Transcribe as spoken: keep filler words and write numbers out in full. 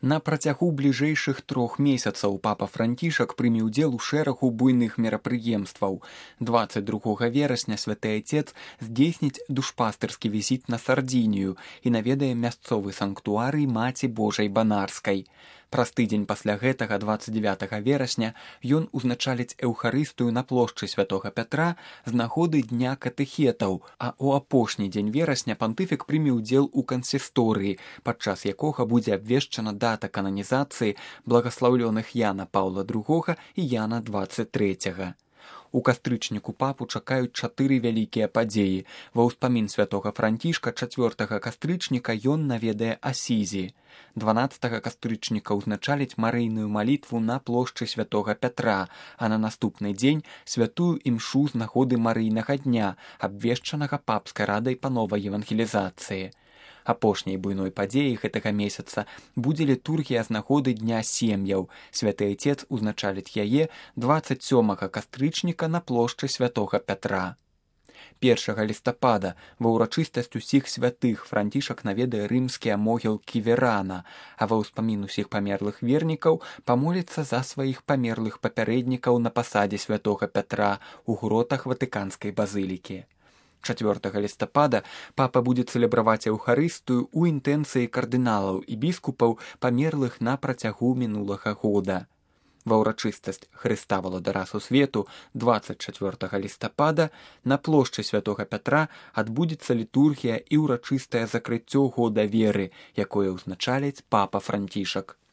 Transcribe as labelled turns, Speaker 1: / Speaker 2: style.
Speaker 1: На працягу бліжэйшых трох месяцаў папа Францішак прыме ўдзел у шэрагу буйных мерапрыемстваў. дваццаць другога верасня святы Отец здзейсніць душпастырскі візіт на Сардзінію і наведае мясцовы санктуарый Маці Божай Банарскай. Праз тыдзень пасля гэтага, дваццаць дзевятага верасня, ён узначаліць эўхарыстыю на плошчы святога Пятра з нагоды дня катэхетаў, а ў апошні дзень верасня пантыфік прыме ўдзел у кансісторыі, падчас якога будзе абвешчана дата кананізацыі благаслаўлёных Яна Паўла другога і Яна дваццаць трэцяга. У кастрычніку папу чакаюць чатыры вялікія падзеі. Ва ўспамін святога Францішка чацвёртага кастрычніка ён наведае Асізі. дванаццатага кастрычніка ўзначаліць марыйную малітву на плошчы святога Пятра, а на наступны дзень святую імшу з нагоды марыйнага дня, абвешчанага папскай радай па новай евангелізацыі. Апошняй буйной падзеяй гэтага месяца будзе літургія з нагоды дня сем'яў. Святы Отец узначаліць яе дваццаць сёмага кастрычніка на плошчы святога Пятра. першага лістапада ва ўрачыстасць усіх святых Францішак наведае рымскія могілкі Верана, а ва ўспамін усіх памерлых вернікаў памоліцца за сваіх памерлых папярэднікаў на пасадзе святога Пятра ў гротах Ватыканскай базылікі. чацвёртага лістапада папа будзе цэлебраваць эўхарыстыю ў інтэнцыі кардыналаў і біскупаў, памерлых на працягу мінулага года. Ва ўрачыстасць Хрыста валадара сусвету дваццаць чацвёртага лістапада на плошчы святога Пятра адбудзецца літургія і ўрачыстае закрыццё года веры, якое ўзначаліць папа Францішак.